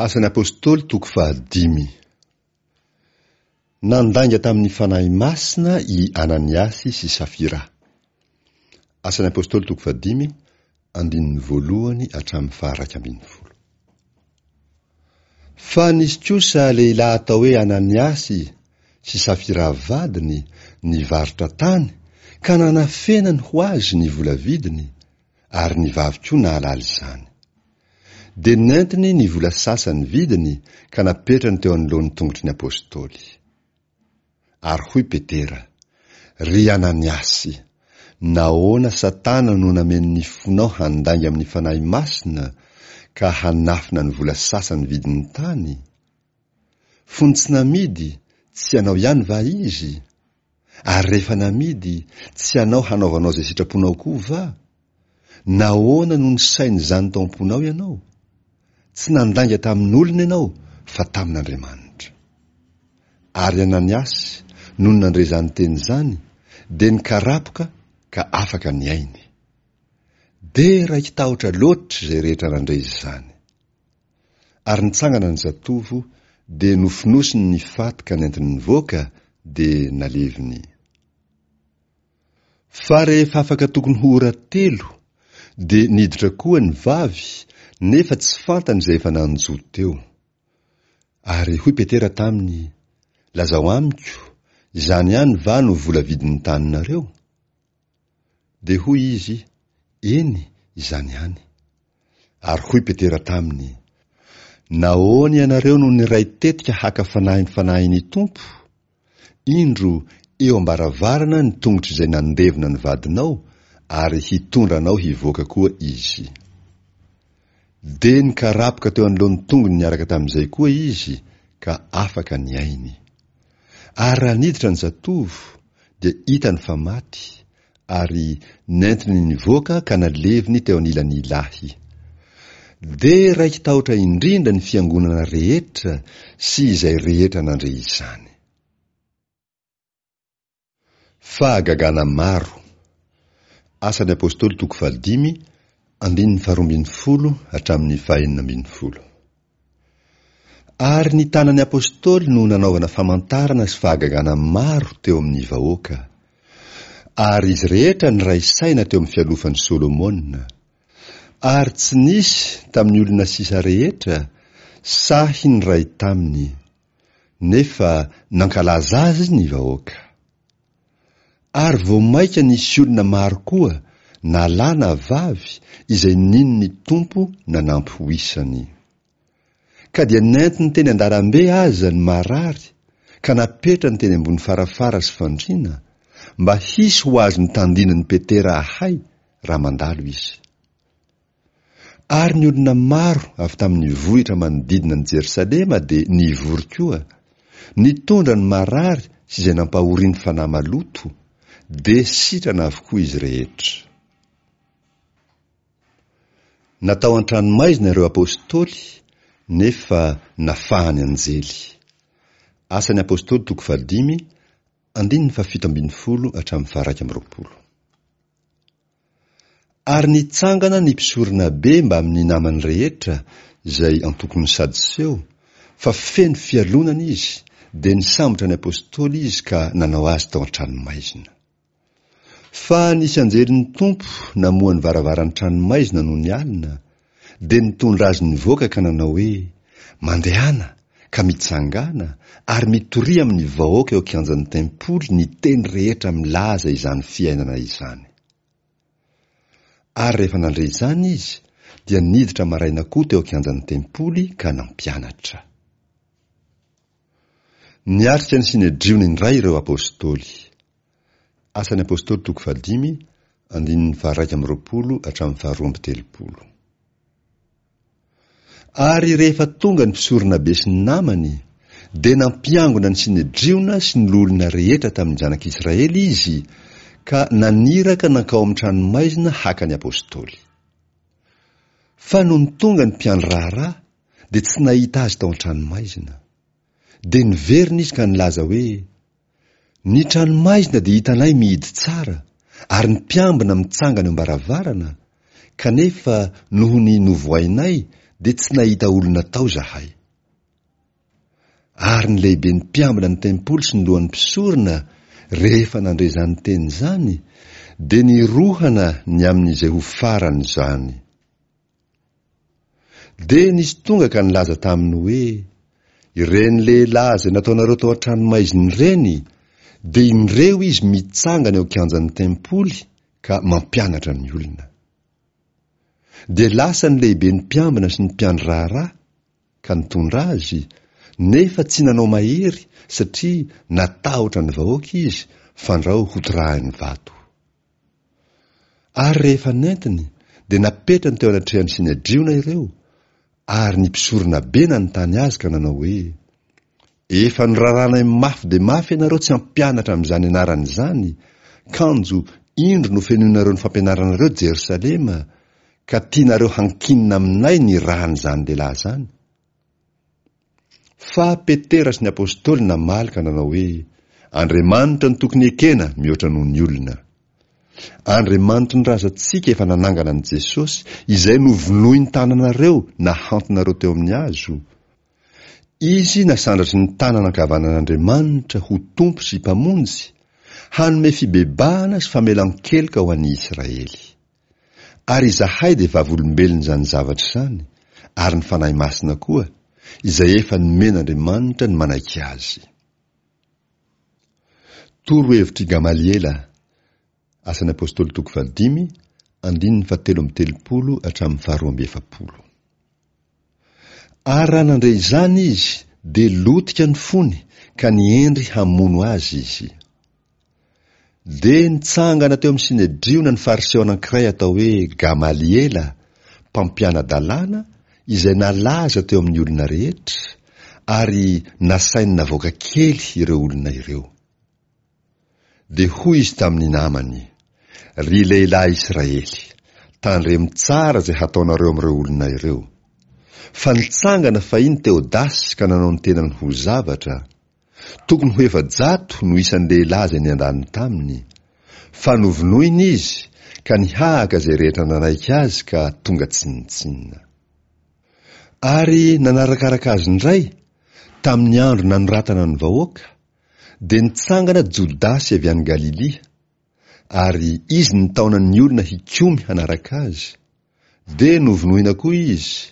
Asan'ny Apostoly toko fahadimy. Nandainga tamin'ny Fanahy Masina i Ananiasy sy Safira. Asan'ny Apostoly toko fahadimy, andininy voalohany hatramin'ny faha-11. Fa nisy kosa lehilahy atao hoe Ananiasy sy Safira vadiny nivarotra tany ka nanafenany ho azy ny vola vidiny, ary ny vavy koa nahalala izany. Dia nentiny ny vola sasany vidiny ka napetrany teo anoloan'ny tongotry ny apostoly. Ary hoy Petera, Ry Ananiasy, nahoana Satana no nameno ny fonao handainga amin'ny Fanahy Masina ka hanafina ny vola sasany vidin'ny tany? Fony tsy namidy, tsy anao ihany va izy? Ary rehefa namidy, tsy anao hanaovanao izay sitraponao koa va? Nahoana no nisaina izany tao am-ponao ianao? Tsy nandainga tamin'olona ianao, fa tamin'Andriamanitra. Ary Ananiasy, nony nandre izany teny izany, dia nikarapoka ka afaka ny ainy. Dia raiki-tahotra loatra izay rehetra nandre izany. Ary nitsangana ny zatovo, dia nofonosiny ny faty ka nentiny nivoaka, dia naleviny. Fa rehefa afaka tokony ho ora telo, dia niditra koa ny vavy, nefa tsy fantany izay efa nanjo teo. Ary hoy Petera taminy, Lazao amiko, izany ihany va no vola vidin'ny taninareo? Dia hoy izy, Eny, izany ihany. Ary hoy Petera taminy, Nahoana ianareo no niray tetika haka fanahy ny Fanahin'ny Tompo? Indro, eo am-baravarana ny tongotr'izay nandevina ny vadinao, ary hitondra anao hivoaka koa izy. Dia nikarapoka teo anoloan'ny tongony niaraka tamin'izay koa izy, ka afaka ny ainy. Ary raha niditra ny zatovo, dia hitany fa maty, ary nentiny nivoaka ka naleviny teo anilan'ny lahy. Dia raiki-tahotra indrindra ny fiangonana rehetra sy izay rehetra nandre izany. Fahagagana maro. Asan'ny Apostoly toko fahadimy, andininy faharoambinifolo hatramin'ny fahenina ambinifolo. Ary ny tanan'ny Apostoly no nanaovana famantarana sy fahagagana maro teo amin'ny vahoaka. Ary izy rehetra niray saina teo amin'ny fialofan'i Solomona. Ary tsy nisy tamin'ny olona sisa rehetra sahy niray taminy, nefa nankalaza azy ny vahoaka. Ary vao mainka nisy olona maro koa, na lahy na vavy, izay nino ny Tompo nanampy ho isany. Ka dia nentiny teny an-dalambe aza ny marary ka napetrany teny ambony farafara sy fandriana, mba hisy ho azon'ny tandindon'i Petera ahay raha mandalo izy. Ary ny olona maro avy tamin'ny vohitra manodidina an'i Jerosalema dia nivory koa, nitondra ny marary sy izay nampahorian'ny fanahy maloto, dia sitrana avokoa izy rehetra. Natao an-tranomaizina ireo apostoly, nefa nafahan'ny anjely. Asan'ny Apostoly toko fahadimy, andininy fahafito ambinifolo hatramin'ny faha-21. Ary nitsangana ny mpisoronabe mbamin'ny namany rehetra, izay antokon'ny Sadoseo, fa feno fialonana izy, dia nisambotra ny apostoly izy ka nanao azy tao an-tranomaizina. Fa nisy anjelin'ny Tompo namoha ny varavaran'ny tranomaizina nony alina, dia nitondra azy nivoaka ka nanao hoe, Mandehana, ka mitsangàna, ary mitoria amin'ny vahoaka eo an-kianjan'ny tempoly ny teny rehetra milaza izany fiainana izany. Ary rehefa nandre izany izy, dia niditra maraina koa teo an-kianjan'ny tempoly ka nampianatra. Niatrika ny Synedriona indray ireo apostoly. Asan'ny Apostoly toko fahadimy, andininy faha-21 hatramin'ny faha-32. Ary rehefa tonga ny mpisoronabe sy ny namany, dia nampiangona ny Synedriona sy ny loholona rehetra tamin'ny zanak'Israely izy, ka naniraka nankao amin'ny tranomaizina haka ny apostoly. Fa nony tonga ny mpiandry raharaha, dia tsy nahita azy tao an-tranomaizina. Dia niverina izy ka nilaza hoe, Ny tranomaizina dia hitanay mihidy tsara, ary ny mpiambina mitsangana eo am-baravarana, kanefa noho ny novohainay dia tsy nahita olona tao izahay. Ary ny lehiben'ny mpiambina ny tempoly sy ny lohan'ny mpisorona, rehefa nandre izany teny izany, dia nirohana ny amin'izay ho faran'izany. Dia nisy tonga ka nilaza taminy hoe, Ireny lehilahy izay nataonareo tao an-tranomaizina ireny, dia indreo izy mitsangana eo an-kianjan'ny tempoly ka mampianatra ny olona. Dia lasa ny lehiben'ny mpiambina sy ny mpiandry raharaha, ka nitondra azy, nefa tsy nanao mahery satria natahotra ny vahoaka izy fandrao hotorahiny vato. Ary rehefa nentiny, dia napetrany teo anatrehan'ny Synedriona ireo, ary ny mpisoronabe nanontany azy ka nanao hoe, Efa noraranay mafy dia mafy ianareo tsy hampianatra amin'izany anarana izany, kanjo indro nofenoinareo ny fampianaranareo Jerosalema, ka tianareo hankinina aminay ny ràn'izany lehilahy izany. Fa Petera sy ny apostoly namaly ka nanao hoe, Andriamanitra no tokony ekena mihoatra noho ny olona. Andriamanitry ny razantsika efa nanangana an'i Jesosy, izay novonoin'ny tananareo nahantonareo teo amin'ny hazo. Izy nasandratry ny tanana ankavanan'Andriamanitra ho Tompo sy Mpamonjy, hanome fibebahana sy famelan-keloka ho an'ny Israely. Ary izahay dia vavolombelon'izany zavatra izany, ary ny Fanahy Masina koa, izay efa nomen'Andriamanitra ny manaiky Azy. Torohevitr'i Gamaliela, Asan'ny Apostoly toko fahadimy, andininy fahatelo amby telopolo hatramin'ny faharoa amby efapolo. Ary raha nandre izany izy, dia lotika ny fony, ka nihendry hamono azy izy. Dia nitsangana teo amin'ny Synedriona ny Fariseo anankiray atao hoe Gamaliela, mpampiana-dalàna, izay nalaza teo amin'ny olona rehetra, ary nasainy navoaka kely ireo olona ireo. Dia hoy izy tamin'ny namany, Ry lehilahy Israely, tandremo tsara izay hataonareo amin'ireo olona ireo. Fa nitsangana fahiny Teodasy ka nanao ny tenany ho zavatra, Tokony ho 400 no isan'ny lehilahy izay niandany taminy, fa novonoina izy ka nihahaka izay rehetra nanaiky azy ka tonga tsinontsinona. Ary nanarakaraka azy indray, tamin'ny andro nanoratana ny vahoaka, dia nitsangana Jodasy avy any Galilia, ary izy nitaona ny olona hikomy hanaraka azy, dia novonoina koa izy,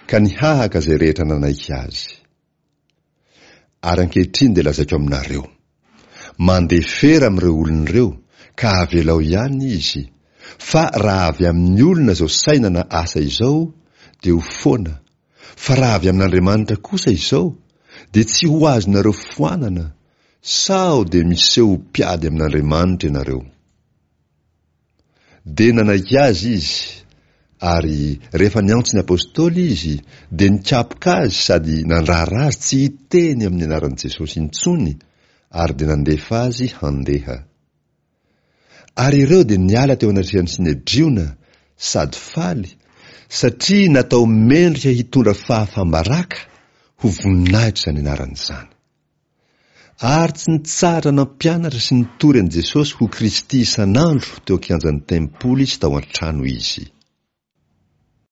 ka nihahaka izay rehetra nanaiky azy. Ary ankehitriny dia lazaiko aminareo, mandefera amin'ireo olona ireo, ka avelao ihany izy, fa raha avy amin'ny olona izao saina na asa izao, dia ho foana, fa raha avy amin'Andriamanitra kosa izao, dia tsy ho azonareo foanana, sao dia miseho ho mpiady amin'Andriamanitra ianareo. Dia nanaiky azy izy, ary rehefa niantso ny apostoly izy, dia nikapoka azy sady nandrara azy tsy hiteny amin'ny anaran'i Jesosy intsony, ary dia nandefa azy handeha. Ary ireo dia niala teo anatrehan'ny Synedriona sady faly, satria natao mendrika hitondra fahafam-baraka ho voninahitra izany anarana izany. Ary tsy nitsahatra nampianatra sy nitory an'i Jesosy ho Kristy isan'andro teo an-kianjan'ny tempoly sy tao an-trano izy.